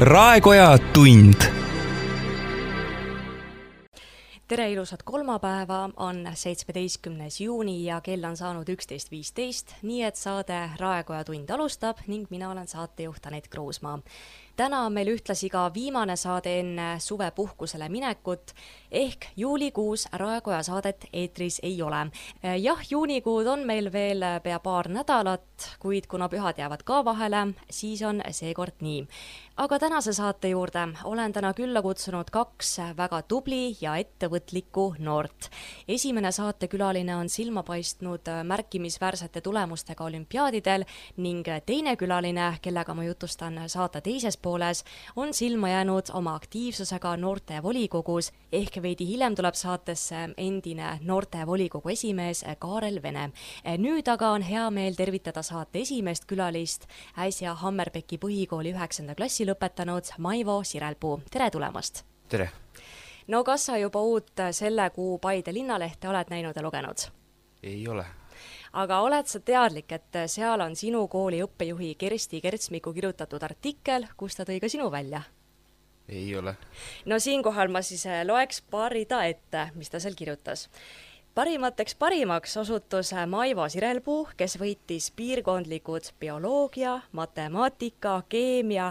Raekoja tund. Tere ilusat kolmapäeva, on 17. juuni ja kell on saanud 11.15, nii et saade Raekoja tund alustab ning mina olen saatejuht Anett Kruusmaa. Täna on meil ühtlasi ka viimane saade enne suvepuhkusele minekut, ehk juulikuus Raekoja saadet eetris ei ole. Jah, juunikuud on meil veel pea paar nädalat, kuid kuna pühad jäävad ka vahele, siis on seekord nii. Aga tänase saate juurde olen täna külla kutsunud kaks väga tubli ja ettevõtlikku noort. Esimene saatekülaline on silma paistnud märkimisväärsete tulemustega olümpiaadidel ning teine külaline, kellega ma jutustan saate teises pooles, on silma jäänud oma aktiivsusega noorte volikogus, ehk veidi hiljem tuleb saatesse endine noorte volikogu esimees Kaarel Vene. Nüüd aga on hea meel tervitada saate esimest külalist, äsja Hammerbecki põhikooli 9. klassi lõpetanud Maivo Sirelpuu. Tere tulemast! Tere! No kas sa juba uut selle kuu Paide linnalehte oled näinud ja lugenud? Ei ole. Aga oled sa teadlik, et seal on sinu kooli õppejuhi Kersti Kertsmiku kirjutatud artikkel, kus ta tõi ka sinu välja? Ei ole. No siinkohal ma siis loeks paar rida ette, mis ta seal kirjutas. Parimaks osutus Maivo Sirelpuu, kes võitis piirkondlikud bioloogia, matemaatika, keemia,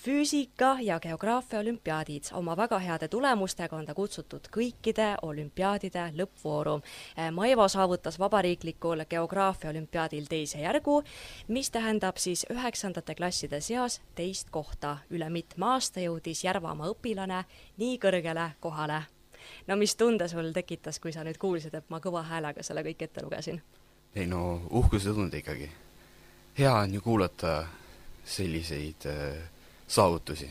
füüsika ja geograafia olümpiaadid. Oma väga heade tulemustega on ta kutsutud kõikide olümpiaadide lõppvooru. Maivo saavutas vabariiklikul geograafia olümpiaadil teise järgu, mis tähendab siis 9. klasside seas teist kohta. Üle mitme aasta jõudis Järvamaa õpilane nii kõrgele kohale. No mis tunde sul tekitas, kui sa nüüd kuulsid, et ma kõva häälega selle kõik ette lugesin? Ei no, uhkuse tunde ikkagi. Hea on ju kuulata selliseid saavutusi.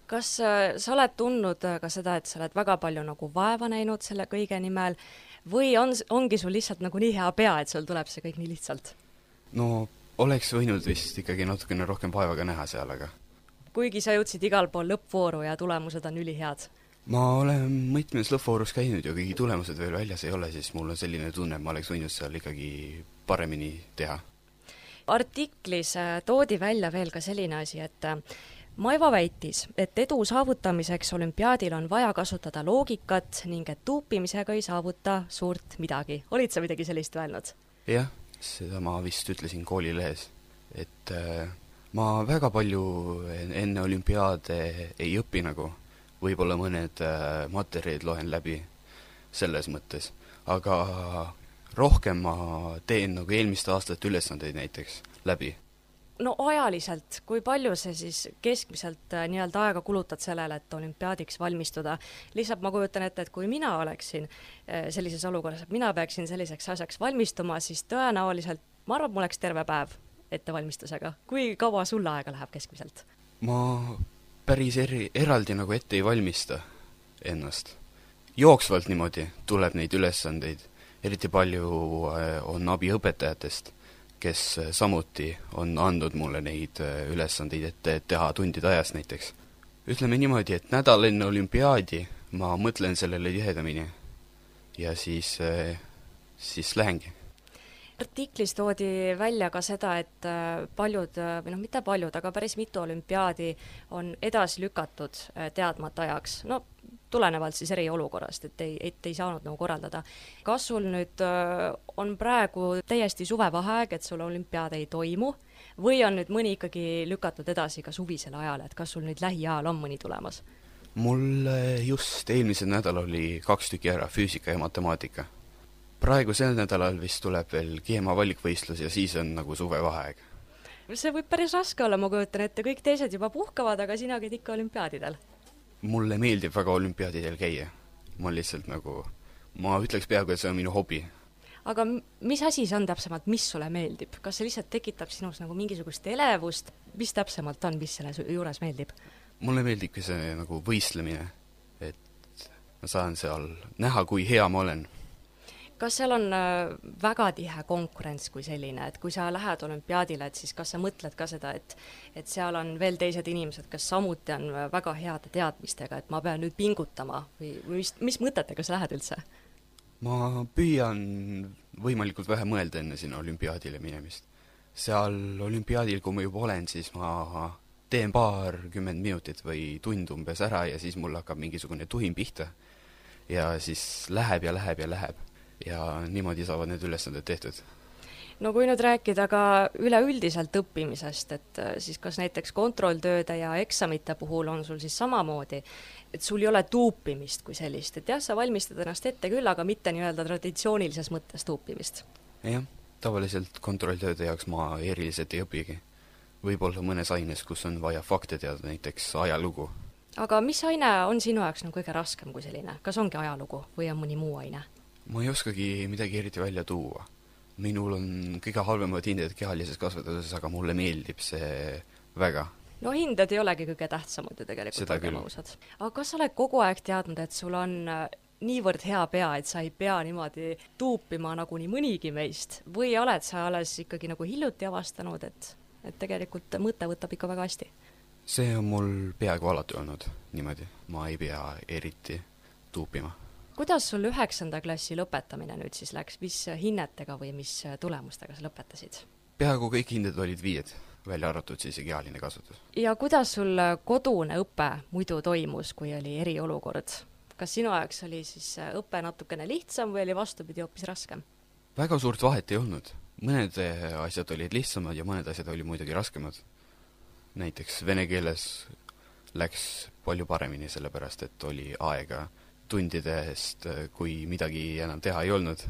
Kas sa oled tundnud ka seda, et sa oled väga palju nagu vaeva näinud selle kõige nimel või ongi sul lihtsalt nagu nii hea pea, et sul tuleb see kõik nii lihtsalt? No, oleks võinud vist ikkagi natukene rohkem vaevaga näha seal, aga... Kuigi sa jõudsid igal pool lõppvooru ja tulemused on ülihead. Ma olen mitmes lõppvoorus käinud ja kõigi tulemused veel väljas ei ole, siis mul on selline tunne, et ma oleks võinud seal ikkagi paremini teha. Artiklis toodi välja veel ka selline asi, et Maivo väitis, et edu saavutamiseks olümpiaadil on vaja kasutada loogikat ning et tuupimisega ei saavuta suurt midagi. Olid sa midagi sellist öelnud? Jah, seda ma vist ütlesin koolilehes, et ma väga palju enne olümpiaade ei õpi nagu, võib-olla mõned materjalid loen läbi selles mõttes, aga rohkem ma teen nagu eelmiste aastate ülesandeid näiteks läbi. No ajaliselt, kui palju see siis keskmiselt nii-öelda aega kulutad sellele, et olümpiaadiks valmistuda? Lihtsalt ma kujutan ette, et kui mina oleksin sellises olukorras, et mina peaksin selliseks asjaks valmistuma, siis tõenäoliselt, ma arvan, mul oleks terve päev ettevalmistusega. Kui kaua sulle aega läheb keskmiselt? Ma päris eraldi nagu ette ei valmista ennast. Jooksvalt niimoodi tuleb neid ülesandeid. Eriti palju on abi õpetajatest, kes samuti on andnud mulle neid ülesandeid ette teha tundide ajas näiteks. Ütleme niimoodi, et nädal enne olümpiaadi ma mõtlen sellele tihedamini ja siis lähengi. Artiklis toodi välja ka seda, et paljud, või mitte paljud, aga päris mitu olümpiaadi on edasi lükatud teadmata ajaks. No, tulenevalt siis eriolukorrast, et ei saanud nagu korraldada. Kas sul nüüd on praegu täiesti suvevaheaeg, et sul olümpiaad ei toimu, või on nüüd mõni ikkagi lükatud edasi ka suvisele ajale, et kas sul nüüd lähiajal on mõni tulemas? Mul just eelmisel nädal oli 2 tükki ära, füüsika ja matemaatika. Praegu sel nädalal vist tuleb veel keema valikvõistlus ja siis on nagu suvevaheaeg. See võib päris raske olla, ma kujutan ette, kõik teised juba puhkavad, aga sina käid ikka olümpiaadidel. Mulle meeldib väga olümpiaadidel käia. Ma lihtsalt nagu, ma ütleks peaaegu, et see on minu hobi. Aga mis asi see on täpsemalt, mis sulle meeldib? Kas see lihtsalt tekitab sinus nagu mingisugust elevust? Mis täpsemalt on, mis selle juures meeldib? Mulle meeldibki see nagu võistlemine, et ma saan seal näha, kui hea ma olen. Kas seal on väga tihe konkurents kui selline, et kui sa lähed olümpiaadile, et siis kas sa mõtled ka seda, et seal on veel teised inimesed, kes samuti on väga heade teadmistega, et ma pean nüüd pingutama või mis mõtetega sa lähed üldse? Ma püüan võimalikult vähe mõelda enne sinna olümpiaadile minemist. Seal olümpiaadil, kui ma juba olen, siis ma teen 20 minutit või tund umbes ära ja siis mul hakkab mingisugune tuhin pihta ja siis läheb ja läheb ja läheb. Ja niimoodi saavad need ülesanded tehtud. No kui nüüd rääkida ka üleüldiselt õppimisest, et siis kas näiteks kontrolltööde ja eksamite puhul on sul siis samamoodi, et sul ei ole tuupimist kui sellist, et jah, sa valmistad ennast ette küll, aga mitte nii-öelda traditsioonilises mõttes tuupimist? Jah, tavaliselt kontrolltööde jaoks ma eriliselt ei õpigi. Võib-olla mõnes aines, kus on vaja fakte teada, näiteks ajalugu. Aga mis aine on sinu jaoks kõige raskem kui selline? Kas ongi ajalugu või on mõni muu aine? Ma ei oskagi midagi eriti välja tuua. Minul on kõige halvemad hinded kehalises kasvatuses, aga mulle meeldib see väga. No hinded ei olegi kõige tähtsamad ju tegelikult. Seda küll. Aga kas sa oled kogu aeg teadnud, et sul on niivõrd hea pea, et sa ei pea niimoodi tuupima nagu nii mõnigi meist? Või oled sa alles ikkagi nagu hiljuti avastanud, et tegelikult mõte võtab ikka väga hästi? See on mul peaaegu alati olnud niimoodi. Ma ei pea eriti tuupima. Kuidas sul 9. klassi lõpetamine nüüd siis läks? Mis hinnetega või mis tulemustega sa lõpetasid? Peaaegu kõik hinded olid 5, välja arvatud siis kehaline kasvatus. Ja kuidas sul kodune õpe muidu toimus, kui oli eriolukord? Kas sinu ajaks oli siis õpe natukene lihtsam või oli vastupidi hoopis raskem? Väga suurt vahet ei olnud. Mõned asjad olid lihtsamad ja mõned asjad olid muidugi raskemad. Näiteks vene keeles läks palju paremini, sellepärast et oli aega tundidest, kui midagi enam teha ei olnud,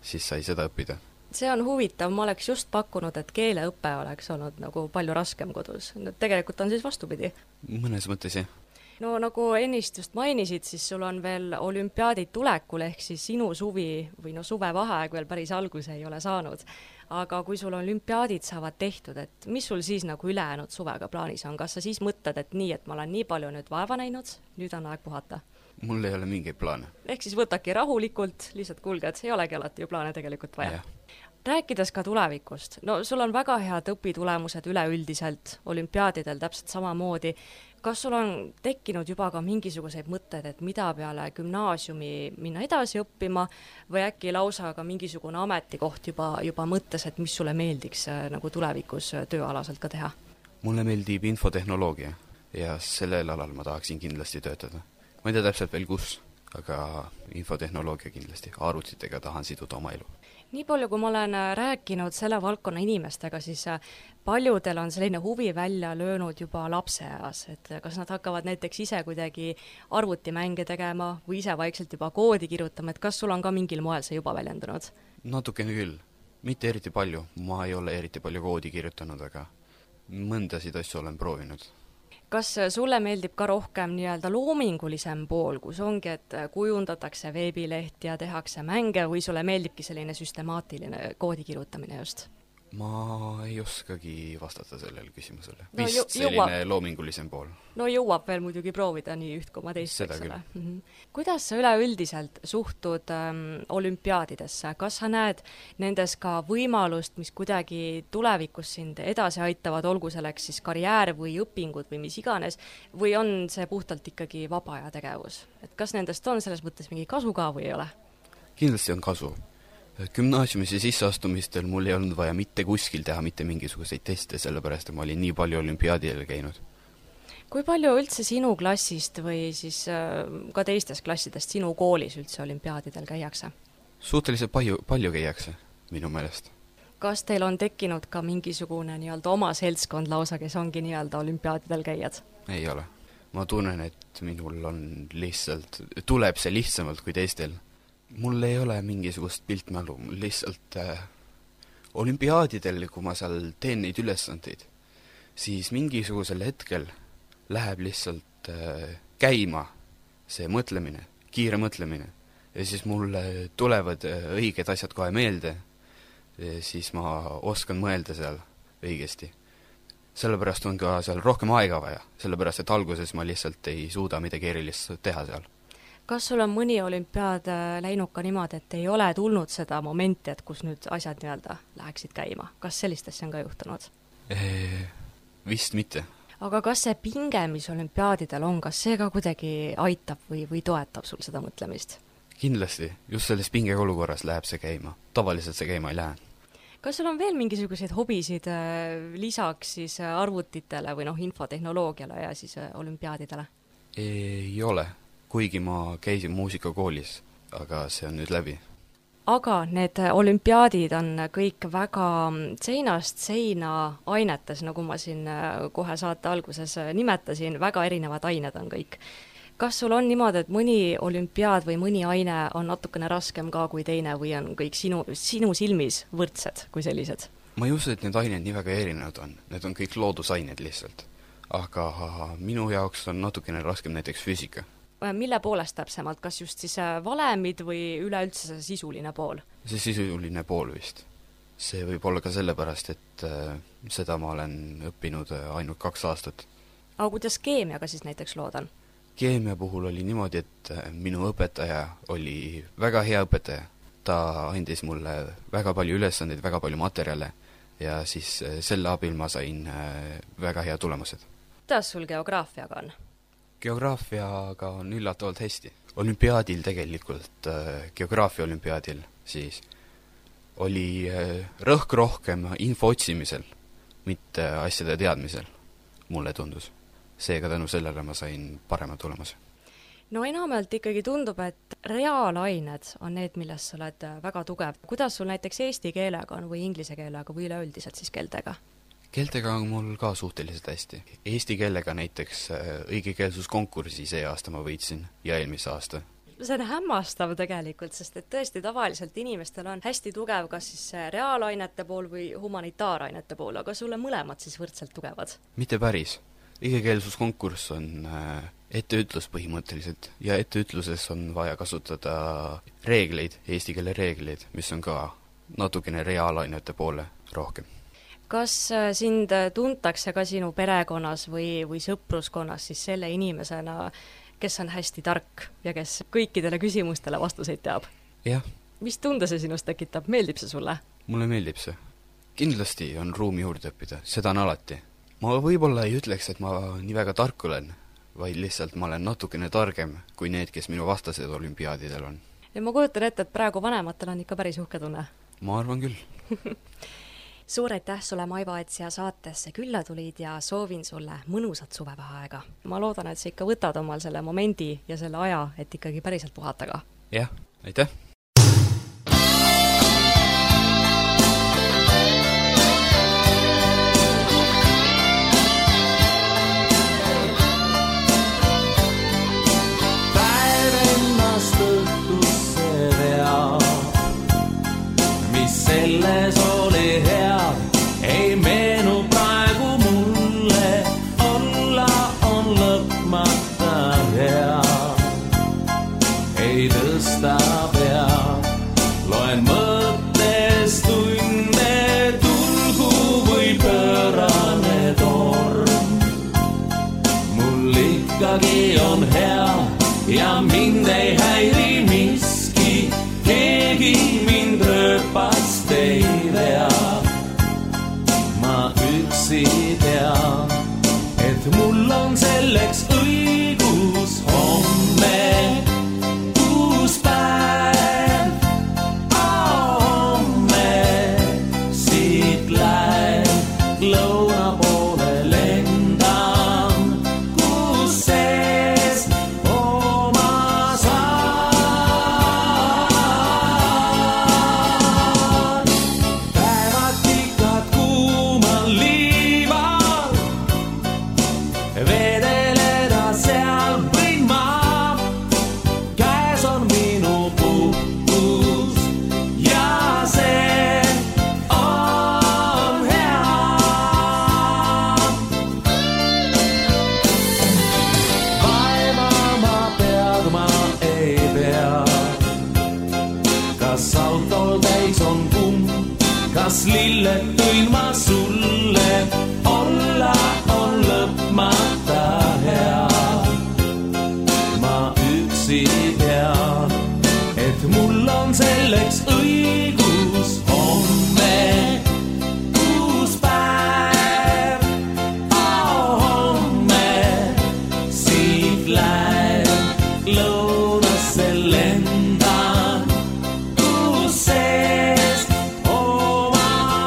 siis sai seda õppida. See on huvitav, ma oleks just pakkunud, et keeleõpe oleks olnud nagu palju raskem kodus. Tegelikult on siis vastupidi. Mõnes mõttes, jah. No nagu ennist just mainisid, siis sul on veel olümpiaadid tulekul, ehk siis sinu suvi või suvevaheaeg veel päris alguse ei ole saanud. Aga kui sul olümpiaadid saavad tehtud, et mis sul siis nagu ülejäänud suvega plaanis on? Kas sa siis mõtled, et nii, et ma olen nii palju nüüd vaeva näinud, nüüd on aeg puhata? Mul ei ole mingeid plaane. Ehk siis võtaki rahulikult, lihtsalt kuulged, ei olegi alati ju plaane tegelikult vaja. Rääkides ka tulevikust, no sul on väga head õpitulemused üleüldiselt, olümpiaadidel täpselt samamoodi. Kas sul on tekkinud juba ka mingisuguseid mõtted, et mida peale gümnaasiumi minna edasi õppima või äkki lausa ka mingisugune ametikoht juba mõttes, et mis sulle meeldiks nagu tulevikus tööalaselt ka teha? Mulle meeldib infotehnoloogia ja sellel alal ma tahaksin kindlasti töötada. Ma ei tea täpselt veel kus, aga infotehnoloogia kindlasti. Arvutitega tahan siduda oma elu. Nii palju, kui ma olen rääkinud selle valdkonna inimestega, siis paljudel on selline huvi välja löönud juba lapseeas, et kas nad hakkavad näiteks ise kuidagi arvutimänge tegema või ise vaikselt juba koodi kirjutama, et kas sul on ka mingil moel see juba väljendunud? Natukene küll. Mitte eriti palju. Ma ei ole eriti palju koodi kirjutanud, aga mõndasid asju olen proovinud. Kas sulle meeldib ka rohkem nii-öelda loomingulisem pool, kus ongi, et kujundatakse veebileht ja tehakse mänge või sulle meeldibki selline süstemaatiline koodi kirjutamine just? Ma ei oskagi vastata sellele küsimusele. No, vist selline loomingulisem pool. No jõuab veel muidugi proovida nii üht koma teist. Seda küll. Kuidas sa üleüldiselt suhtud olümpiaadidesse? Kas sa näed nendes ka võimalust, mis kuidagi tulevikus sind edasi aitavad, olgu selleks siis karjäär või õpingud või mis iganes, või on see puhtalt ikkagi vaba aja tegevus? Et kas nendest on selles mõttes mingi kasu ka või ei ole? Kindlasti on kasu. Gümnaasiumisse sisseastumistel mul ei olnud vaja mitte kuskil teha mitte mingisuguseid teste, sellepärast et ma olin nii palju olümpiaadidel käinud. Kui palju üldse sinu klassist või siis ka teistest klassidest sinu koolis üldse olümpiaadidel käiakse? Suhteliselt palju käiakse, minu meelest. Kas teil on tekkinud ka mingisugune nii-öelda oma seltskond lausa, kes ongi nii-öelda olümpiaadidel käijad? Ei ole. Ma tunnen, et minul on lihtsalt, tuleb see lihtsamalt kui teistel. Mul ei ole mingisugust piltmälu, lihtsalt olümpiaadidel, kui ma seal teen neid ülesandeid, siis mingisugusel hetkel läheb lihtsalt käima see mõtlemine, kiire mõtlemine, ja siis mulle tulevad õiged asjad kohe meelde, siis ma oskan mõelda seal õigesti. Sellepärast on ka seal rohkem aega vaja, sellepärast et alguses ma lihtsalt ei suuda midagi erilist teha seal. Kas sul on mõni olümpiaad läinud ka niimoodi, et ei ole tulnud seda momenti, et kus nüüd asjad nii-öelda läheksid käima? Kas sellist asja on ka juhtunud? Vist mitte. Aga kas see pinge, mis olümpiaadidel on, kas see ka kuidagi aitab või toetab sul seda mõtlemist? Kindlasti. Just selles pinge olukorras läheb see käima. Tavaliselt see käima ei lähe. Kas sul on veel mingisuguseid hobisid lisaks siis arvutitele või infotehnoloogiale ja siis olümpiaadidele? Ei ole, kuigi ma käisin muusikakoolis, aga see on nüüd läbi. Aga need olümpiaadid on kõik väga seinast seina ainetes, nagu ma siin kohe saate alguses nimetasin, väga erinevad ained on kõik. Kas sul on niimoodi, et mõni olümpiaad või mõni aine on natukene raskem ka kui teine või on kõik sinu silmis võrdsed kui sellised? Ma ei usu, et need ained nii väga erinevad on. Need on kõik loodusained lihtsalt. Aga minu jaoks on natukene raskem näiteks füüsika. Mille poolest täpsemalt? Kas just siis valemid või üleüldse see sisuline pool? See sisuline pool vist. See võib olla ka sellepärast, et seda ma olen õppinud ainult 2 aastat. Aga kuidas keemiaga siis näiteks lood on? Keemia puhul oli niimoodi, et minu õpetaja oli väga hea õpetaja. Ta andis mulle väga palju ülesandeid, väga palju materjale ja siis selle abil ma sain väga hea tulemused. Kuidas sul geograafiaga on? Geograafiaga on üllatavalt hästi. Olümpiaadil tegelikult, geograafia olümpiaadil siis oli rõhk rohkem info otsimisel, mitte asjade teadmisel, mulle tundus. Seega tänu sellele ma sain parema tulemuse. No enamalt ikkagi tundub, et reaalained on need, milles sa oled väga tugev. Kuidas sul näiteks eesti keelega on või inglise keelega või üleüldiselt siis keeltega? Keeltega on mul ka suhteliselt hästi. Eesti keelega näiteks õigekeelsuskonkursi see aasta ma võitsin ja eelmise aasta. See on hämmastav tegelikult, sest et tõesti tavaliselt inimestel on hästi tugev kas siis reaalainete pool või humanitaarainete pool, aga sulle mõlemad siis võrdselt tugevad? Mitte päris. Õigekeelsuskonkurss on etteütlus põhimõtteliselt ja etteütluses on vaja kasutada reegleid, eesti keele reegleid, mis on ka natukene reaalainete poole rohkem. Kas sind tuntakse ka sinu perekonnas või sõpruskonnas siis selle inimesena, kes on hästi tark ja kes kõikidele küsimustele vastuseid teab? Jah. Mis tunde see sinust tekitab? Meeldib see sulle? Mulle meeldib see. Kindlasti on ruumi juurde õppida, seda on alati. Ma võib-olla ei ütleks, et ma nii väga tark olen, vaid lihtsalt ma olen natukene targem kui need, kes minu vastased olümpiaadidel on. Ja ma kujutan ette, et praegu vanematel on ikka päris uhke tunne. Ma arvan küll. Suur aitäh sulle, Maivo, et siia saatesse külla tulid ja soovin sulle mõnusat suvevaheaega. Ma loodan, et sa ikka võtad omal selle momendi ja selle aja, et ikkagi päriselt puhata ka. Jah, aitäh! Päev ennast õhtusse veab, mis selles oli hea, ei meenu praegu mulle, olla on lõpmata hea. Ei tõsta pea, loen mõttes tunde, tulgu või pöörane torm. Mul ikkagi on hea ja mind ei häiri miski, keegi mind rööpast ei vea. Ma üksi tean, et mul on selleks õigus homme. Uus päev, homme siit läheb lõuna poole lendan, kus sees oma saan. Päevad tikad kuumal liival, vedeleda seal võin ma. Käes on minu puhkus ja see on hea. Vaevama pead ma ei pea, kas autol täis on kumm, kas lilled tõin ma sulle, olla on lõpmata hea. Ma üksi tean, et mul on selleks õigus homme. Uus päev, homme siit läheb lõunasse lendan, kus sees oma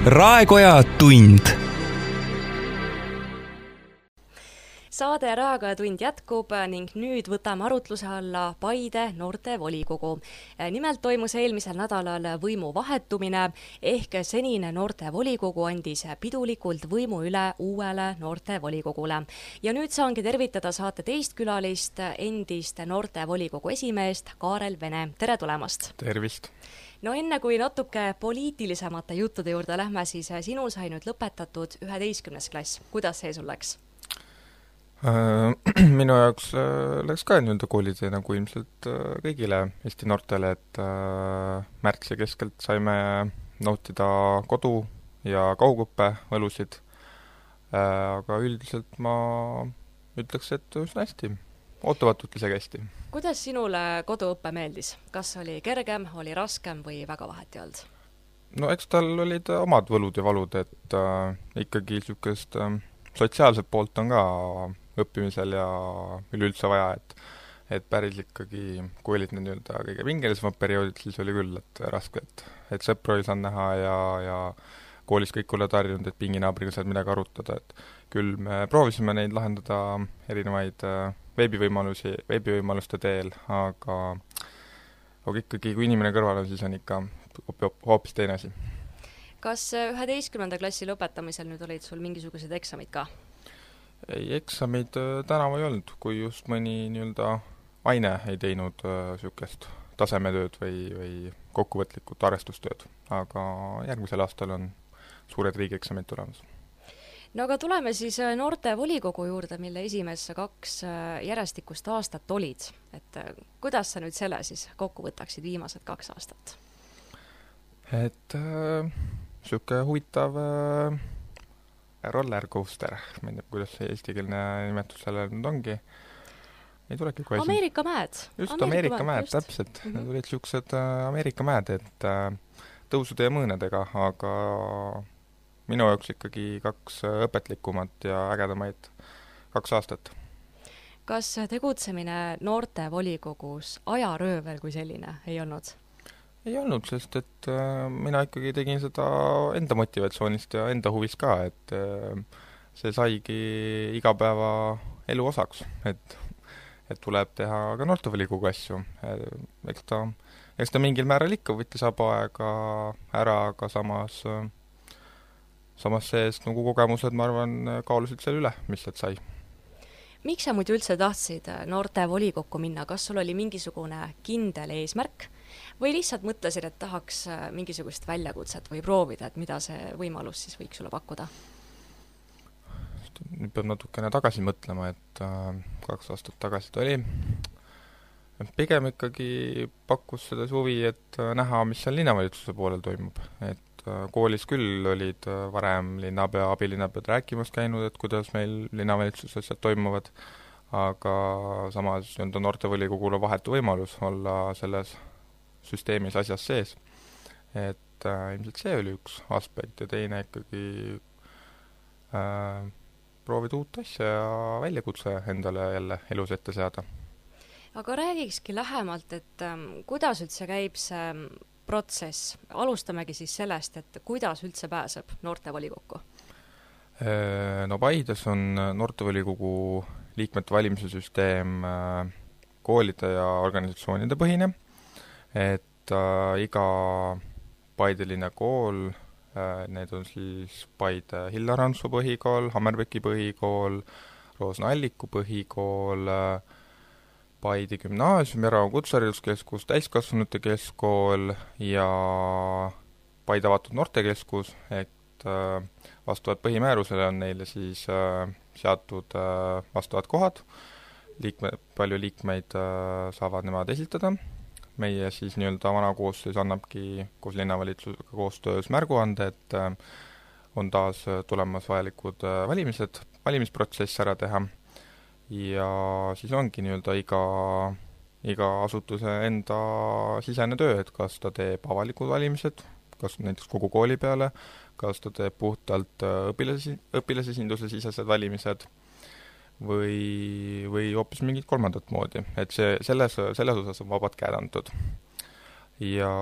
Raekoja tund. Saade Raekoja tund jätkub ning nüüd võtame arutluse alla Paide noortevolikogu. Nimelt toimus eelmisel nädalal võimu vahetumine ehk senine noortevolikogu andis pidulikult võimu üle uuele noortevolikogule. Ja nüüd saangi tervitada saate teist külalist, endist noortevolikogu esimeest Kaarel Vene. Tere tulemast! Tervist! No enne kui natuke poliitilisemate juttude juurde lähme, siis sinul sai nüüd lõpetatud 11. klass. Kuidas see sul läks? Minu jaoks läks ka nii-öelda koolitee nagu ilmselt kõigile Eesti noortele, et märtsi keskelt saime nautida kodu- ja kaugõppe võlusid, aga üldiselt ma ütleks, et üsna hästi, ootamatult isegi hästi. Kuidas sinule koduõppe meeldis? Kas oli kergem, oli raskem või väga vahet ei olnud? No eks tal olid omad võlud ja valud, et ikkagi niisugust sotsiaalset poolt on ka õppimisel ja üleüldse vaja, et päris ikkagi, kui olid need nii-öelda kõige pingelisemad perioodid, siis oli küll, et raske, et sõpru ei saanud näha ja koolis kõik olid harjunud, et pinginaabriga saad midagi arutada, et küll me proovisime neid lahendada erinevaid veebivõimaluste teel, aga ikkagi, kui inimene kõrval on, siis on ikka hoopis teine asi. Kas 11. klassi lõpetamisel nüüd olid sul mingisugused eksamid ka? Ei, eksamid tänavu ei olnud, kui just mõni nii-öelda aine ei teinud niisugust tasemetööd või kokkuvõtlikult arvestustööd, aga järgmisel aastal on suured riigieksamid tulemas. No aga tuleme siis noortevolikogu juurde, mille esimees 2 järjestikust aastat olid. Et kuidas sa nüüd selle siis kokku võtaksid viimased 2 aastat? Et niisugune huvitav rollercoaster, ma ei tea, kuidas see eestikeelne nimetus sellele nüüd ongi. Ei tulegi kohe Ameerika mäed. Just, Ameerika mäed, täpselt. Need olid niisugused Ameerika mäed, et tõusude ja mõõnedega, aga minu jaoks ikkagi 2 õpetlikumat ja ägedamaid 2 aastat. Kas tegutsemine noortevolikogus ajaröövel kui selline ei olnud? Ei olnud, sest et mina ikkagi tegin seda enda motivatsioonist ja enda huvis ka, et see saigi igapäeva elu osaks, et tuleb teha ka noortevolikogu asju. Eks ta mingil määral ikka võttis aega ära, aga samas seest nagu kogemused, ma arvan, kaalusid selle üle, mis sealt sai. Miks sa muidu üldse tahtsid noortevolikokku minna? Kas sul oli mingisugune kindel eesmärk või lihtsalt mõtlesid, et tahaks mingisugust väljakutset või proovida, et mida see võimalus siis võiks sulle pakkuda? Nüüd peab natukene tagasi mõtlema, et 2 aastat tagasi ta oli. Pigem ikkagi pakkus seda huvi, et näha, mis seal linnavalitsuse poolel toimub. Et koolis küll olid varem linnapea, abilinnapead rääkimas käinud, et kuidas meil linnavalitsuses asjad toimuvad, aga samas noortevolikogule vahetu võimalus olla selles süsteemis asjas sees. Et ilmselt see oli üks aspekt ja teine ikkagi proovida uut asja ja väljakutse endale jälle elus ette seada. Aga räägikski lähemalt, et kuidas üldse käib see protsess? Alustamegi siis sellest, et kuidas üldse pääseb noortevolikokku? No Paides on noortevolikogu liikmete valimise süsteem koolide ja organisatsioonide põhine, et iga Paide linna kool, need on siis Paide Hillar Hansoo põhikool, Hammerbecki põhikool, Roosna Alliku põhikool, Paide gümnaasium, Järva kutsehariduskeskus, täiskasvanute keskkool ja Paide avatud noortekeskus, et vastavalt põhimäärusele on neile siis seatud vastavad kohad, palju liikmeid saavad nemad esitada. Meie siis nii-öelda vana koosseis annabki koos linnavalitsusega koostöös märguande, et on taas tulemas vajalikud valimisprotsess ära teha. Ja siis ongi nii-öelda iga asutuse enda sisene töö, et kas ta teeb avalikud valimised, kas näiteks kogu kooli peale, kas ta teeb puhtalt õpilasesinduse sisesed valimised või hoopis mingit kolmandat moodi. Et selles osas on vabad käed antud. Ja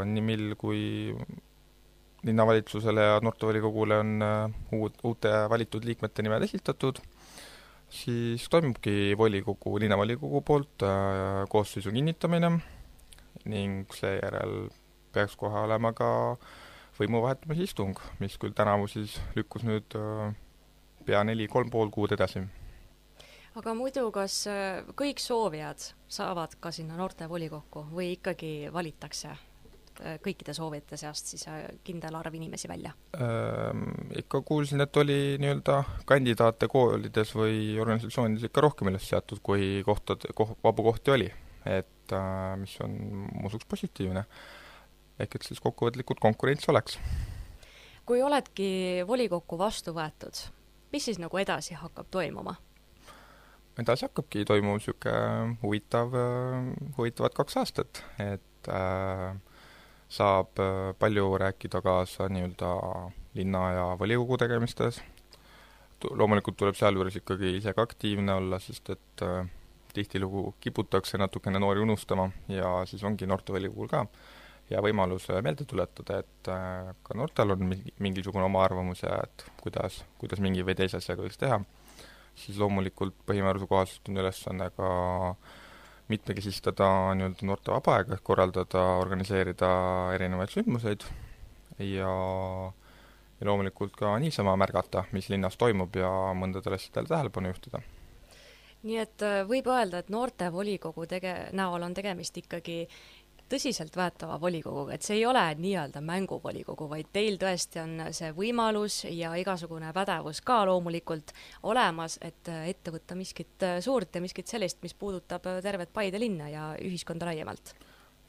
nii mil kui linnavalitsusele ja noortevolikogule on uute valitud liikmete nimed esitatud, siis toimubki linnavolikogu poolt koosseisu kinnitamine ning seejärel peaks kohe olema ka võimu vahetamise istung, mis küll tänavu siis lükkus nüüd pea 3,5 kuud edasi. Aga muidu, kas kõik soovijad saavad ka sinna noortevolikokku või ikkagi valitakse kõikide soovijate seast siis kindel arv inimesi välja? Ikka kuulsin, et oli nii-öelda kandidaate koolides või organisatsioonides ikka rohkem üles seatud, kui vabu kohti oli, et mis on musuks positiivne. Ehk et siis kokkuvõtlikult konkurents oleks. Kui oledki volikokku vastu võetud, mis siis nagu edasi hakkab toimuma? Edasi hakkabki toimuma huvitavad 2 aastat, et saab palju rääkida kaasa nii-öelda linna ja volikogu tegemistes. Loomulikult tuleb sealjuures ikkagi ise ka aktiivne olla, sest et tihtilugu kiputakse natukene noori unustama ja siis ongi noortevolikogul ka ja võimalus meelde tuletada, et ka noortel on mingisugune oma arvamus ja et kuidas mingi või teise asjaga võiks teha. Siis loomulikult põhimääruse kohaselt on ülesanne ka mitmekesistada nii-öelda noorte vaba aega, korraldada, organiseerida erinevaid sündmuseid ja loomulikult ka niisama märgata, mis linnas toimub ja mõndadele asjadele tähelepanu juhtida. Nii et võib öelda, et noortevolikogu näol on tegemist ikkagi tõsiselt võetava volikoguga, et see ei ole nii-öelda mänguvolikogu, vaid teil tõesti on see võimalus ja igasugune pädevus ka loomulikult olemas, et ette võtta miskit suurt ja miskit sellist, mis puudutab tervet Paide linna ja ühiskonda laiemalt.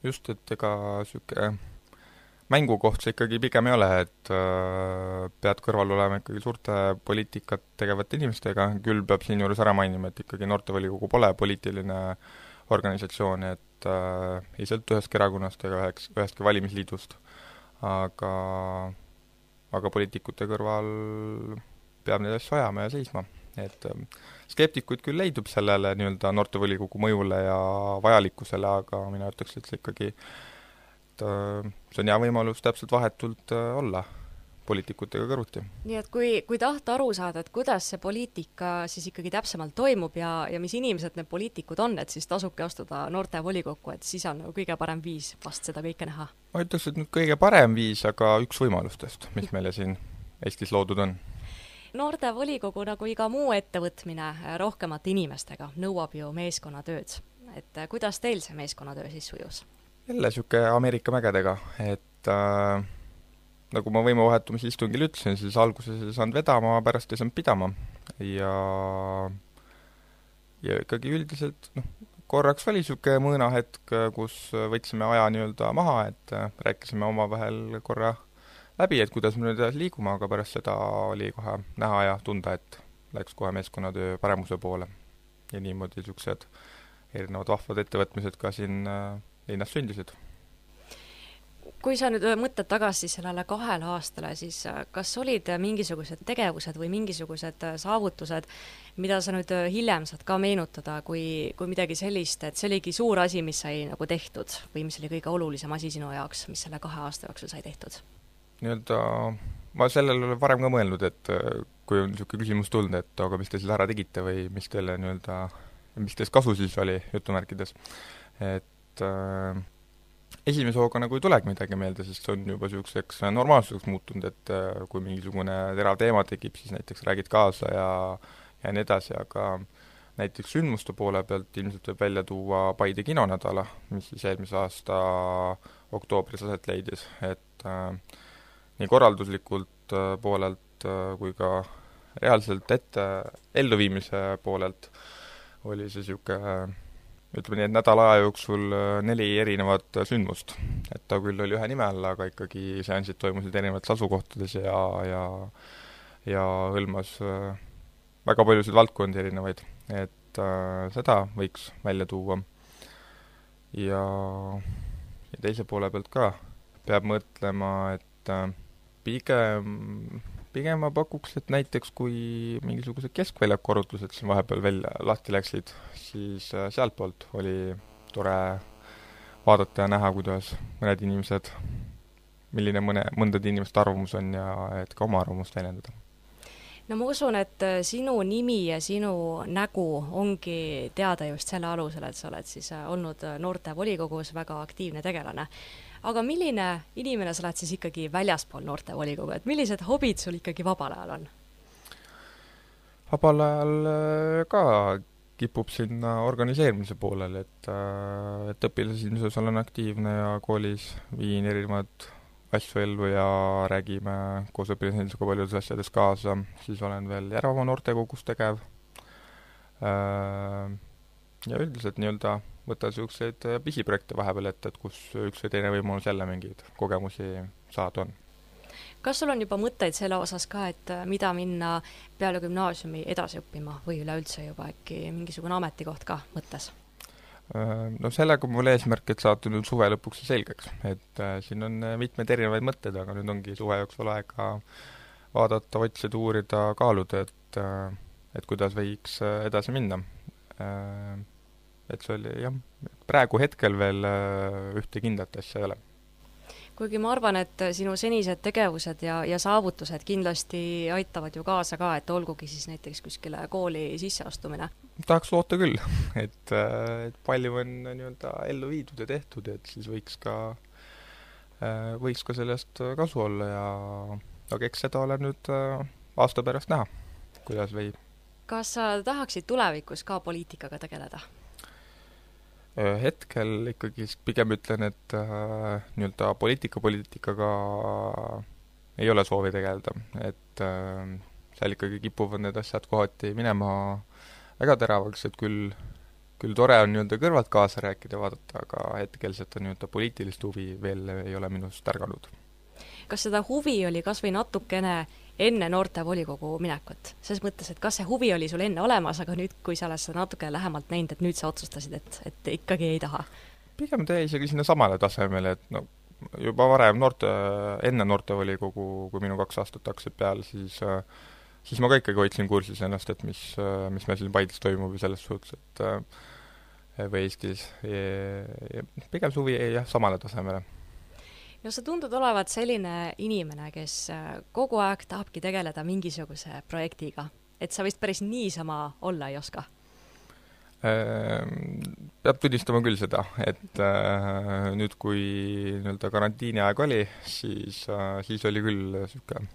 Just, et ega süke mängukoht see ikkagi pigem ei ole, et pead kõrval olema ikkagi suurte poliitikat tegevate inimestega, küll peab siin juures ära mainima, et ikkagi noortevolikogu pole poliitiline organisatsioon, et ei sõltu ühestki erakonnast ega ühestki valimisliidust, aga poliitikute kõrval peab neid asju ajama ja seisma. Et skeptikuid küll leidub sellele nii-öelda noortevolikogu mõjule ja vajalikkusele, aga mina ütleks, et see ikkagi see on hea võimalus täpselt vahetult olla poliitikutega kõrvuti. Nii et kui tahta aru saada, et kuidas see poliitika siis ikkagi täpsemalt toimub ja mis inimesed need poliitikud on, et siis tasubki astuda noortevolikokku, et siis on kõige parem viis vast seda kõike näha. Ma ütleks, et nüüd kõige parem viis, aga üks võimalustest, mis meile siin Eestis loodud on. Noortevolikogu nagu iga muu ettevõtmine rohkemate inimestega nõuab ju meeskonnatööd. Et kuidas teil see meeskonnatöö siis sujus? Jälle siuke Ameerika mägedega, et nagu ma võimuvahetumise istungil ütlesin, siis alguses ei saanud vedama, pärast ei saanud pidama ja ikkagi üldiselt korraks oli siuke mõõnahetk, kus võtsime aja nii-öelda maha, et rääkisime omavahel korra läbi, et kuidas me nüüd liigume, aga pärast seda oli kohe näha ja tunda, et läks kohe meeskonnatöö paremuse poole ja niimoodi siuksed erinevad vahvad ettevõtmised ka siin linnas sündisid. Kui sa nüüd mõtled tagasi sellele 2 aastale, siis kas olid mingisugused tegevused või mingisugused saavutused, mida sa nüüd hiljem saad ka meenutada, kui midagi sellist, et see oligi suur asi, mis sai nagu tehtud või mis oli kõige olulisem asi sinu jaoks, mis selle 2 aasta jooksul sai tehtud? Nii-öelda ma sellele olen varem ka mõelnud, et kui on niisugune küsimus tulnud, et aga mis te siis ära tegite või mis teile nii-öelda, mis teist kasu siis oli jutumärkides, et esimese hooga nagu ei tulegi midagi meelde, sest see on juba niisuguseks normaalsuseks muutunud, et kui mingisugune terav teema tekib, siis näiteks räägid kaasa ja nii edasi, aga näiteks sündmuste poole pealt ilmselt võib välja tuua Paide kinonädala, mis siis eelmise aasta oktoobris aset leidis, et nii korralduslikult poolelt kui ka reaalselt elluviimise poolelt oli see niisugune ütleme nii, et nädala aja jooksul 4 erinevat sündmust. Et ta küll oli ühe nime all, aga ikkagi seansid toimusid erinevates asukohtades ja hõlmas väga paljusid valdkondi erinevaid. Et seda võiks välja tuua. Ja teise poole pealt ka peab mõtlema, et pigem ma pakuks, et näiteks kui mingisugused keskväljaku arutlused siin vahepeal veel lahti läksid, siis sealt poolt oli tore vaadata ja näha, kuidas mõned inimesed milline mõndade inimeste arvamus on ja et ka oma arvamust väljendada. No ma usun, et sinu nimi ja sinu nägu ongi teada just selle alusel, et sa oled siis olnud noortevolikogus väga aktiivne tegelane. Aga milline inimene sa oled siis ikkagi väljaspool noortevolikogu, et millised hobid sul ikkagi vabal ajal on? Vabal ajal ka kipub sinna organiseerimise poolel, et õpilasinduses olen aktiivne ja koolis viin erinevad asju ellu ja räägime koos õpilasindusega paljudes asjades kaasa, siis olen veel Järvamaa noortekogus tegev ja üldiselt nii-öelda võtta selliseid pisiprojekte vahepeal ette, et kus üks või teine võimalus jälle mingeid kogemusi saada on. Kas sul on juba mõtteid selle osas ka, et mida minna peale gümnaasiumi edasi õppima või üleüldse juba äkki mingisugune ametikoht ka mõttes? No sellega mul eesmärk, et saata nüüd suve lõpuks selgeks, et siin on mitmeid erinevaid mõtteid, aga nüüd ongi suve jooksul aega vaadata, otsida, uurida, kaaluda, et kuidas võiks edasi minna. Et see oli jah, praegu hetkel veel ühte kindlat asja ei ole. Kuigi ma arvan, et sinu senised tegevused ja saavutused kindlasti aitavad ju kaasa ka, et olgugi siis näiteks kuskile kooli sisseastumine. Tahaks loota küll, et palju on nii-öelda ellu viidud ja tehtud, et siis võiks ka sellest kasu olla aga eks seda ole nüüd aasta pärast näha, kuidas võib. Kas sa tahaksid tulevikus ka poliitikaga tegeleda? Hetkel ikkagi pigem ütlen, et nii-öelda poliitikaga ei ole soovi tegeleda, et seal ikkagi kipuvad need asjad kohati minema väga teravaks, et küll tore on nii-öelda kõrvalt kaasa rääkida ja vaadata, aga hetkel seda nii-öelda poliitilist huvi veel ei ole minust ärganud. Kas seda huvi oli kas või natukene enne noortevolikogu minekut? Selles mõttes, et kas see huvi oli sul enne olemas, aga nüüd, kui sa oled seda natuke lähemalt näinud, et nüüd sa otsustasid, et ikkagi ei taha? Pigem tee isegi sinna samale tasemele, et no, juba varem enne noortevolikogu, kui minu 2 aastat hakkasid peale, siis ma ka ikkagi hoidsin kursis ennast, et mis meil siin Paides toimub ja selles suhtes, et või Eestis. Pigem suvi jah, samale tasemele. No sa tundud olevat selline inimene, kes kogu aeg tahabki tegeleda mingisuguse projektiga, et sa vist päris niisama olla ei oska? Peab tunnistama küll seda, et nüüd kui nii-öelda karantiini aeg oli, siis oli küll siuke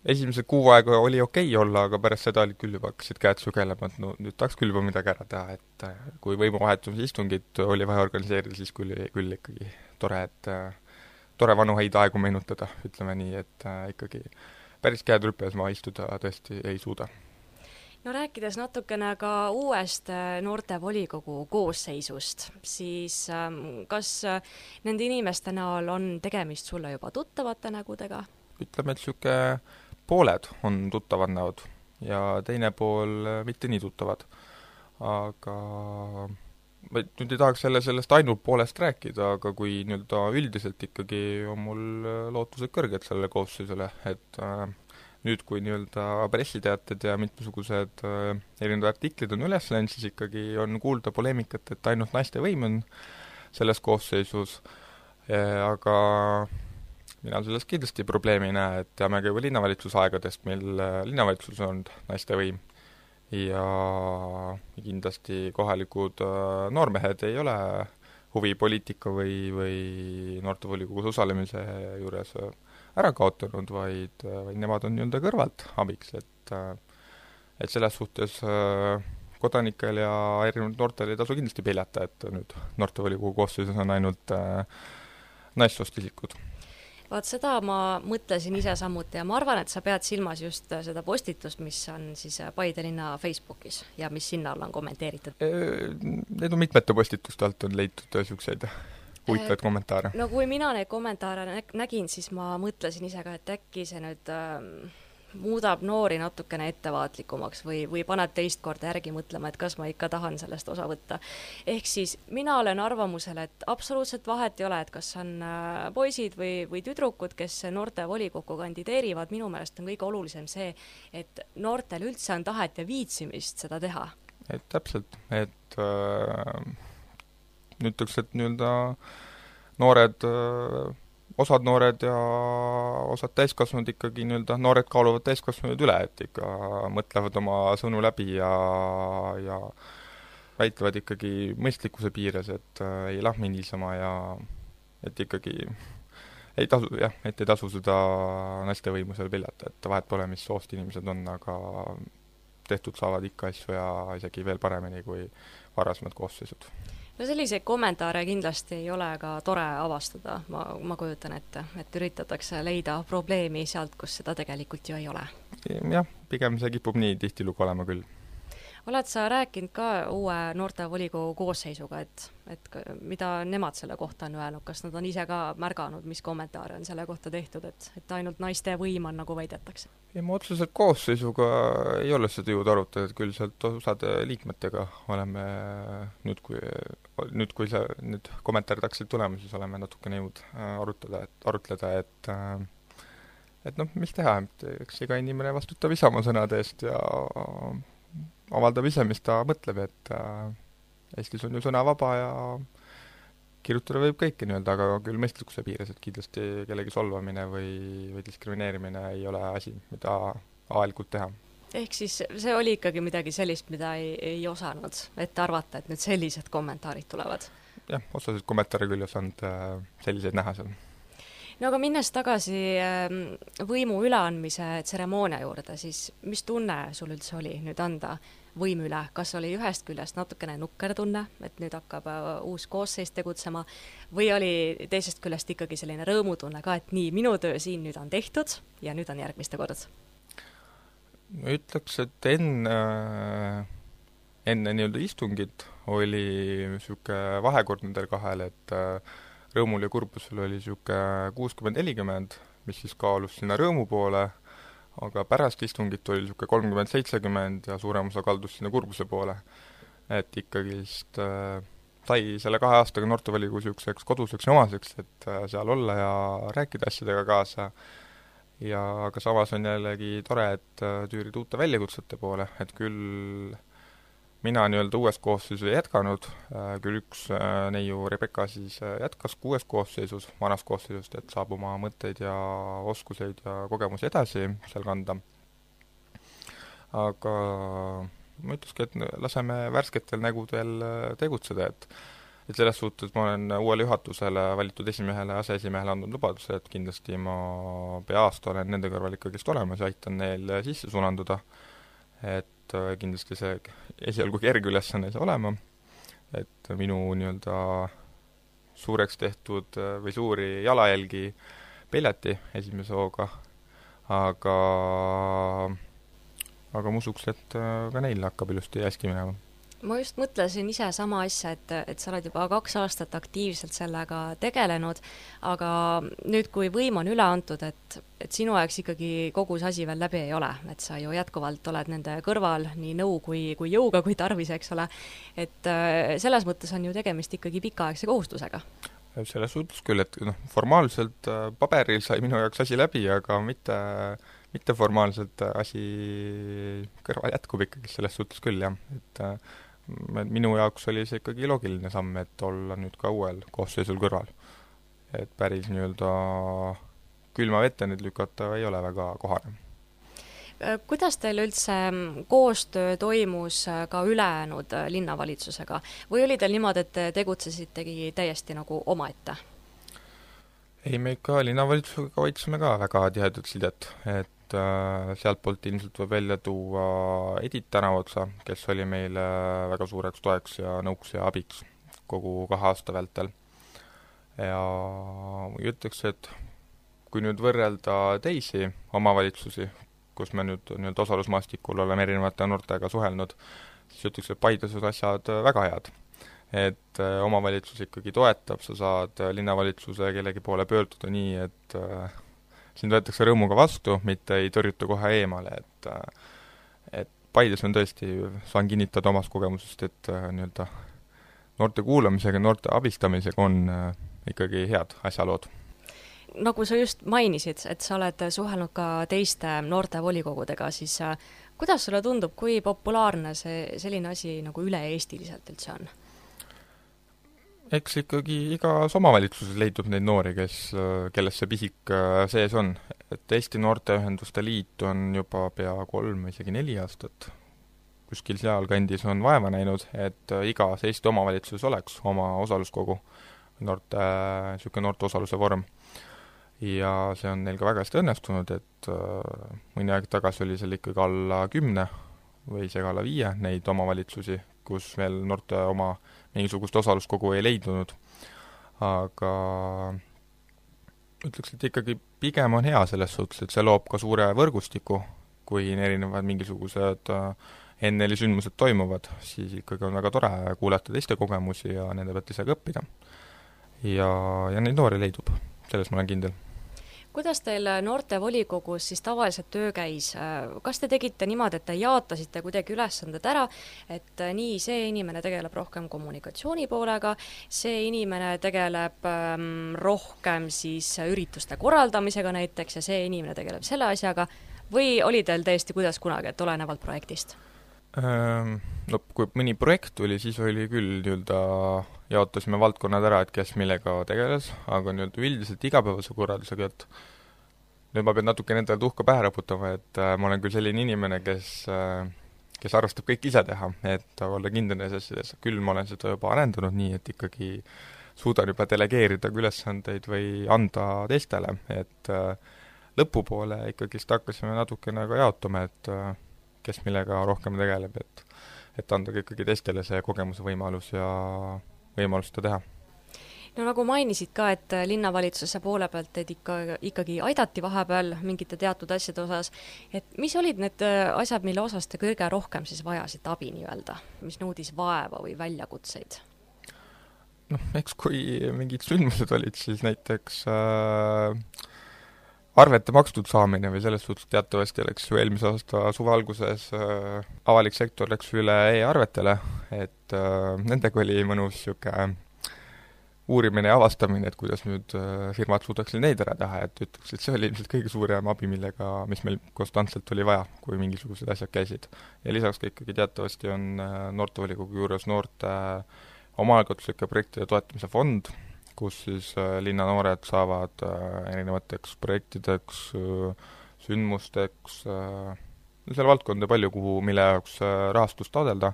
esimese kuu aega oli okei olla, aga pärast seda oli küll juba hakkasid käed sugelema, et no nüüd tahaks küll juba midagi ära teha, et kui võimuvahetumise istungit oli vaja organiseerida, siis küll ikkagi tore vanu häid aegu meenutada, ütleme nii, et ikkagi päris käed rüpes ma istuda tõesti ei suuda. No rääkides natukene ka uuest noortevolikogu koosseisust, siis kas nende inimeste näol on tegemist sulle juba tuttavate nägudega? Ütleme, et siuke pooled on tuttavad näod ja teine pool mitte nii tuttavad. Aga ma nüüd ei tahaks sellest ainult poolest rääkida, aga kui nüüd üldiselt ikkagi on mul lootused kõrged sellele koosseisule, et nüüd, kui nüüd pressiteated ja mitmesugused erinevad artiklid on üles läinud, siis ikkagi on kuulda poleemikat, et ainult naiste võim on selles koosseisus, aga mina selles kindlasti probleemi ei näe, et teame ka juba linnavalitsuse aegadest, meil linnavalitsus on naiste võim ja kindlasti kohalikud noormehed ei ole huvi poliitika või noortevolikogus osalemise juures ära kaotanud, vaid nemad on nii-öelda kõrvalt abiks, et selles suhtes kodanikel ja erinevad noortel ei tasu kindlasti peljata, et nüüd noortevolikogu koosseisus on ainult naissoost isikud. Vaat seda ma mõtlesin ise samuti ja ma arvan, et sa pead silmas just seda postitust, mis on siis Paide linna Facebookis ja mis sinna on kommenteeritud. Need on mitmete postituste alt on leitud selliseid huvitavaid kommentaare. No kui mina neid kommentaare nägin, siis ma mõtlesin ise ka, et äkki see nüüd muudab noori natukene ettevaatlikumaks või paneb teist korda järgi mõtlema, et kas ma ikka tahan sellest osa võtta. Ehk siis mina olen arvamusel, et absoluutselt vahet ei ole, et kas on poisid või tüdrukud, kes noorte volikokku kandideerivad, minu meelest on kõige olulisem see, et noortel üldse on tahet ja viitsimist seda teha. Et täpselt, et ütleks, et nii-öelda noored osad noored ja osad täiskasvanud ikkagi nii-öelda, noored kaaluvad täiskasvanud üle, et ikka mõtlevad oma sõnu läbi ja väitlevad ikkagi mõistlikkuse piires, et ei lahmi niisama ja et ikkagi ei tasu seda naiste võimu seal peljata, et vahet pole, mis soost inimesed on, aga tehtud saavad ikka asju ja isegi veel paremini kui varasemad koosseisud. No selliseid kommentaare kindlasti ei ole ka tore avastada, ma kujutan ette, et üritatakse leida probleemi sealt, kus seda tegelikult ju ei ole. Jah, pigem see kipub nii tihtilugu olema küll. Oled sa rääkinud ka uue noortevolikogu koosseisuga, et mida nemad selle kohta on öelnud, kas nad on ise ka märganud, mis kommentaare on selle kohta tehtud, et ainult naiste võim on nagu väidetakse? Ja ma otseselt koosseisuga ei ole seda jõud arutada, et küll sealt osade liikmetega oleme nüüd, kui need kommentaarid hakkasid tulema, siis oleme natukene jõud arutleda, et noh, mis teha, eks iga inimene vastutab ise oma sõnade eest ja avaldab ise, mis ta mõtleb, et Eestis on ju sõna vaba ja kirjutada võib kõike nii-öelda, aga küll mõistlikkuse piires, et kindlasti kellegi solvamine või diskrimineerimine ei ole asi, mida avalikult teha. Ehk siis see oli ikkagi midagi sellist, mida ei osanud, et arvata, et nüüd sellised kommentaarid tulevad? Jah, osasid kommentaare küll ei osanud selliseid näha seal. No aga minnes tagasi võimu üleandmise tseremoonia juurde, siis mis tunne sul üldse oli nüüd anda võimu üle? Kas oli ühest küljest natukene nukker tunne, et nüüd hakkab uus koosseis tegutsema, või oli teisest küljest ikkagi selline rõõmutunne ka, et nii, minu töö siin nüüd on tehtud ja nüüd on järgmiste kord? Ma ütleks, et enne nii-öelda istungit oli niisugune vahekord nendel kahel, et rõõmul ja kurbusel oli niisugune 60-40, mis siis kaalus sinna rõõmu poole, aga pärast istungit oli niisugune 30-70 ja suurem osa kaldus sinna kurbuse poole. Et ikkagi sai selle 2 aastaga noortevolikogu niisuguseks koduseks ja omaseks, et seal olla ja rääkida asjadega kaasa. Ja aga samas on jällegi tore, et tüürida uute väljakutsete poole, et küll mina nii-öelda uues koosseisus ei jätkanud, küll üks neiu Rebecca siis jätkas 6 koosseisus, vanas koosseisust, et saab oma mõtteid ja oskuseid ja kogemusi edasi seal kanda. Aga ma ütleski, et laseme värsketel nägudel tegutseda, et selles suhtes ma olen uuele juhatusele valitud esimehele ja aseesimehele andnud lubaduse, et kindlasti ma pea aasta olen nende kõrval ikkagist olemas ja aitan neil sisse sulanduda, et kindlasti see esialgu kerge ülesanne ei saa olema, et minu nii-öelda suureks tehtud või suuri jalajälgi peljati esimese hooga, aga ma usuks, et ka neil hakkab ilusti hästi minema. Ma just mõtlesin ise sama asja, et sa oled juba 2 aastat aktiivselt sellega tegelenud, aga nüüd, kui võim on üle antud, et sinu ajags ikkagi kogu see asi veel läbi ei ole, et sa ju jätkuvalt oled nende kõrval nii nõu kui jõuga, kui tarvis, eks ole, et selles mõttes on ju tegemist ikkagi pikaaegse kohustusega. Selles suhtes küll, et formaalselt paberil sai minu jaoks asi läbi, aga mitte formaalselt asi kõrval jätkub ikkagi selles suhtes küll, jah, et minu jaoks oli see ikkagi loogiline samm, et olla nüüd ka uuel koosseisul kõrval. Et päris nii-öelda külma vette nüüd lükata ei ole väga kohane. Kuidas teil üldse koostöö toimus ka ülejäänud linnavalitsusega? Või oli teil niimoodi, et tegutsesitegi täiesti nagu omaette? Ei, me ikka linnavalitsusega hoidsime ka väga tihedat sidet, et sealtpoolt ilmselt võib välja tuua Edith Tänavatsa, kes oli meile väga suureks toeks ja nõuks ja abiks kogu 2 aasta vältel. Ja ütleks, et kui nüüd võrrelda teisi omavalitsusi, kus me nüüd osalusmaastikul oleme erinevate noortega suhelnud, siis ütleks, et Paides on asjad väga head. Et omavalitsus ikkagi toetab, sa saad linnavalitsuse kellegi poole pöörduda nii, et siin võetakse rõõmuga vastu, mitte ei tõrjuta kohe eemale, et Paides on tõesti, saan kinnitada omast kogemusest, et nii-öelda noorte kuulamisega, noorte abistamisega on ikkagi head asjalood. Nagu sa just mainisid, et sa oled suhelnud ka teiste noorte volikogudega, siis kuidas sulle tundub, kui populaarne see selline asi nagu üle-eestiliselt üldse on? eks ikkagi igas omavalitsuses leidub neid noori, kelles see pisik sees on. Et Eesti Noorteühenduste Liit on juba pea 3, isegi 4 aastat kuskil sealkandis on vaeva näinud, et igas Eesti omavalitsuses oleks oma osaluskogu, noorte osaluse vorm. Ja see on neil ka väga hästi õnnestunud, et mõni aeg tagasi oli seal ikkagi alla 10 või isegi alla 5 neid omavalitsusi, kus veel noorte oma mingisugust osaluskogu ei leidunud. Aga ütleks, et ikkagi pigem on hea selles suhtes, et see loob ka suure võrgustiku, kui erinevad mingisugused NL-sündmused toimuvad, siis ikkagi on väga tore kuulata teiste kogemusi ja nende pealt ise õppida. Ja neid noori leidub, selles ma olen kindel. Kuidas teil noortevolikogus siis tavaliselt töö käis? Kas te tegite niimoodi, et te jaotasite kuidagi ülesanded ära, et nii see inimene tegeleb rohkem kommunikatsiooni poolega, see inimene tegeleb rohkem siis ürituste korraldamisega näiteks ja see inimene tegeleb selle asjaga, või oli teil täiesti kuidas kunagi, et olenevalt projektist? No kui mõni projekt tuli, siis oli küll jaotasime valdkonnad ära, et kes millega tegeles, aga üldiselt igapäevase korraldusega, et nüüd ma pean natuke nendele tuhka pähe raputama, et ma olen küll selline inimene, kes arvestab kõik ise teha, et olla kindel neis asjades. Küll ma olen seda juba arendanud nii, et ikkagi suudan juba delegeerida ülesandeid või anda teistele, et lõpupoole ikkagi hakkasime natukene ka jaotama, et kes millega rohkem tegeleb, et anda ikkagi teistele see kogemuse võimalus ja võimalus seda teha. No nagu mainisid ka, et linnavalitsuse poole pealt teid ikkagi aidati vahepeal mingite teatud asjade osas, et mis olid need asjad, mille osas te kõige rohkem siis vajasid abi nii-öelda, mis nõudis vaeva või väljakutseid? Eks kui mingid sündmused olid, siis näiteks arvete makstud saamine või selles suhtes teatavasti läks ju eelmise aasta suve alguses avalik sektor läks üle e-arvetele, et nendega oli mõnus uurimine ja avastamine, et kuidas nüüd firmad suudaksid neid ära teha, et ütleks, et see oli ilmselt kõige suurem abi, mis meil konstantselt oli vaja, kui mingisugused asjad käisid. Ja lisaks ka ikkagi teatavasti on noortevolikogu juures noorte omaalgatuslike projektide toetamise fond, kus siis linnanoored saavad erinevateks projektideks, sündmusteks, seal valdkonda palju, mille jaoks rahastust taodelda,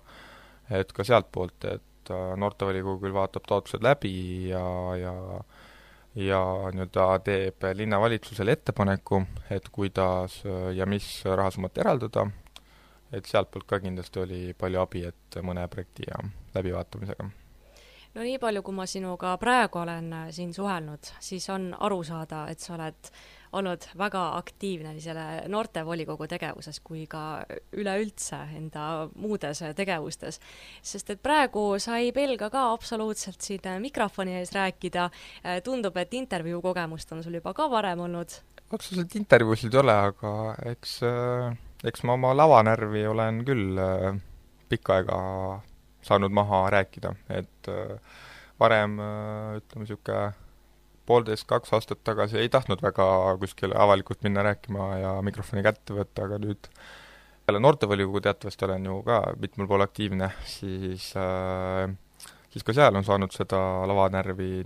et ka sealt poolt, et noortevolikogu küll vaatab taotlused läbi ja teeb linnavalitsusele ettepaneku, et kuidas ja mis rahasummat eraldada, et sealt poolt ka kindlasti oli palju abi, et mõne projekti ja läbivaatamisega. No nii palju, kui ma sinuga praegu olen siin suhelnud, siis on aru saada, et sa oled olnud väga aktiivne nii selle noortevolikogu tegevuses kui ka üleüldse enda muudes tegevustes. Sest et praegu sa ei pelga ka absoluutselt siin mikrofoni ees rääkida. Tundub, et intervjuu kogemust on sul juba ka varem olnud. Otseselt intervjuusid ei ole, aga eks ma oma lavanärvi olen küll pikka aega saanud maha rääkida, et varem, ütleme 1,5–2 aastat tagasi ei tahtnud väga kuskile avalikult minna rääkima ja mikrofoni kätte võtta, aga nüüd peale noortevolikogu teatavasti olen ju ka mitmel pool aktiivne, siis ka seal on saanud seda lavanärvi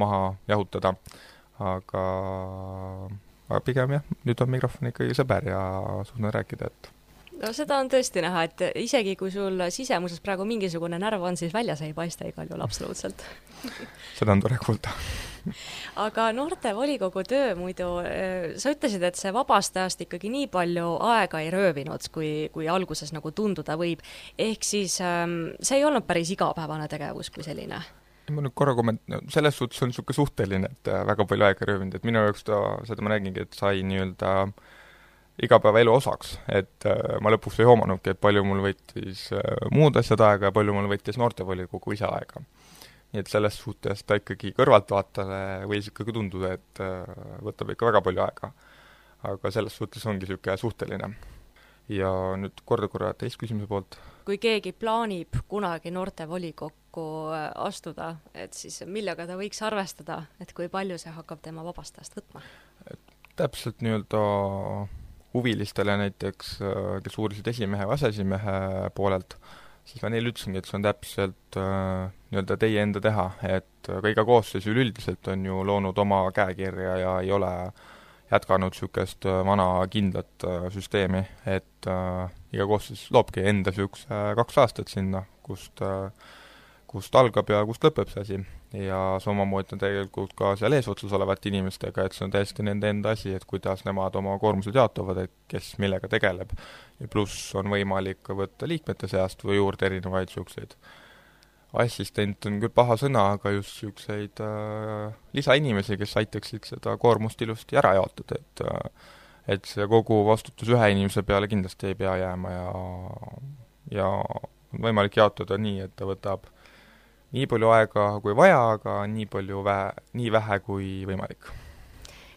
maha jahutada, aga pigem jah, nüüd on mikrofon ikkagi sõber ja suudan rääkida, et No seda on tõesti näha, et isegi kui sul sisemuses praegu mingisugune närv on, siis väljas ei paista igal juhul absoluutselt. Seda on tore kuulda. Aga noortevolikogu töö muidu, sa ütlesid, et see vabastajast ikkagi nii palju aega ei röövinud, kui alguses nagu tunduda võib. Ehk siis see ei olnud päris igapäevane tegevus kui selline. Ma nüüd korra selles suhtes on niisugune suhteline, et väga palju aega röövinud, et minu jaoks seda ma nägingi, et sai nii-öelda igapäeva elu osaks, et ma lõpuks ei hoomanudki, et palju mul võttis muud asjad aega ja palju mul võttis noortevolikogu ise aega. Nii et selles suhtes ta ikkagi kõrvaltvaatajale võis ikkagi tunduda, et võtab ikka väga palju aega. Aga selles suhtes ongi niisugune suhteline. Ja nüüd korra teist küsimuse poolt. Kui keegi plaanib kunagi noortevolikokku astuda, et siis millega ta võiks arvestada, et kui palju see hakkab tema vabastajast võtma? Täpselt nii-öelda huvilistele näiteks, kes uurisid esimehe või aseesimehe poolelt, siis ma neile ütlesingi, et see on täpselt nii-öelda teie enda teha, et ka iga koosseis üleüldiselt on ju loonud oma käekirja ja ei ole jätkanud niisugust vana kindlat süsteemi, et iga koosseis loobki enda niisuguse 2 aastat sinna, kust algab ja kust lõpeb see asi. Ja samamoodi on tegelikult ka seal eesotsas olevate inimestega, et see on täiesti nende enda asi, et kuidas nemad oma koormused jaotuvad, et kes millega tegeleb. Ja pluss on võimalik võtta liikmete seast või juurde erinevaid niisuguseid assistent on küll paha sõna, aga just niisuguseid lisainimesi, kes aitaksid seda koormust ilusti ära jaotada, et see kogu vastutus ühe inimese peale kindlasti ei pea jääma ja on võimalik jaotada nii, et ta võtab nii palju aega kui vaja, aga nii vähe kui võimalik.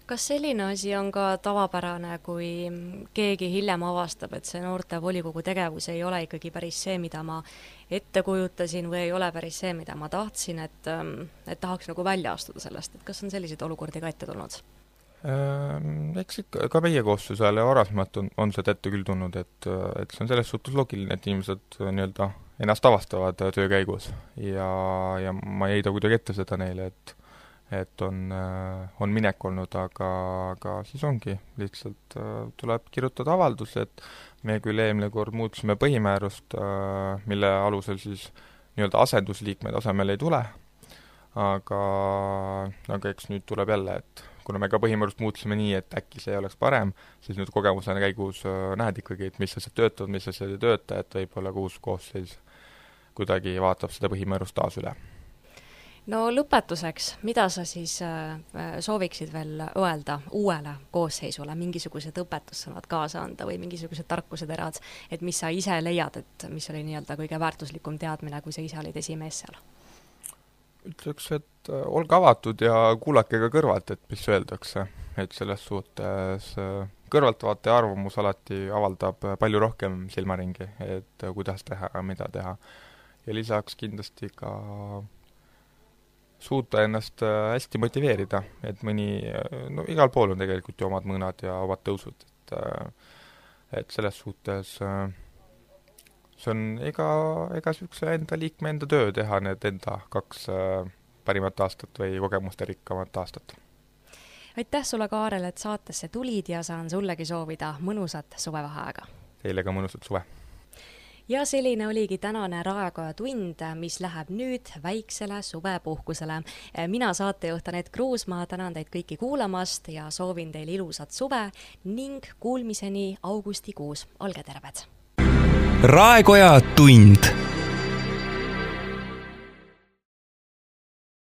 Kas selline asi on ka tavapärane, kui keegi hiljem avastab, et see noorte volikogu tegevus ei ole ikkagi päris see, mida ma ette kujutasin või ei ole päris see, mida ma tahtsin, et tahaks nagu välja astuda sellest, et kas on selliseid olukordi ka ette tulnud? Eks ikka, ka meie koossusele varasemalt on see ette küll tulnud, et see on selles suhtes loogiline, et inimesed nii-öelda ennast avastavad töö käigus ja ma ei heida kuidagi ette seda neile, et on minek olnud, aga siis ongi, lihtsalt tuleb kirjutada avaldus, et me küll eelmine kord muutsime põhimäärust, mille alusel siis nii-öelda asendusliikmed asemel ei tule, aga eks nüüd tuleb jälle, et kuna me ka põhimäärust muutsime nii, et äkki see oleks parem, siis nüüd kogemusena käigus näed ikkagi, et mis asjad töötavad, mis asjad ei tööta, et võib-olla uus koosseis kuidagi vaatab seda põhimäärust taas üle. No lõpetuseks, mida sa siis sooviksid veel öelda uuele koosseisule, mingisugused õpetussõnad kaasa anda või mingisugused tarkuseterad, et mis sa ise leiad, et mis oli nii-öelda kõige väärtuslikum teadmine, kui sa ise olid esimees seal? Ütleks, et olge avatud ja kuulake ka kõrvalt, et mis öeldakse, et selles suhtes kõrvaltvaataja arvamus alati avaldab palju rohkem silmaringi, et kuidas teha ja mida teha. Ja lisaks kindlasti ka suuta ennast hästi motiveerida, et igal pool on tegelikult ju omad mõnad ja omad tõusud, et selles suhtes see on ega niisuguse enda liikme enda töö teha need enda 2 parimat aastat või kogemuste rikkamat aastat. Aitäh sulle, Kaarel, et saatesse tulid ja saan sullegi soovida mõnusat suvevaheaega. Teile ka mõnusat suve. Ja selline oligi tänane Raekoja tund, mis läheb nüüd väiksele suvepuhkusele. Mina saatejuht Anett Kruusmaa tänan teid kõiki kuulamast ja soovin teile ilusat suve ning kuulmiseni augustikuus. Olge terved! Raekoja tund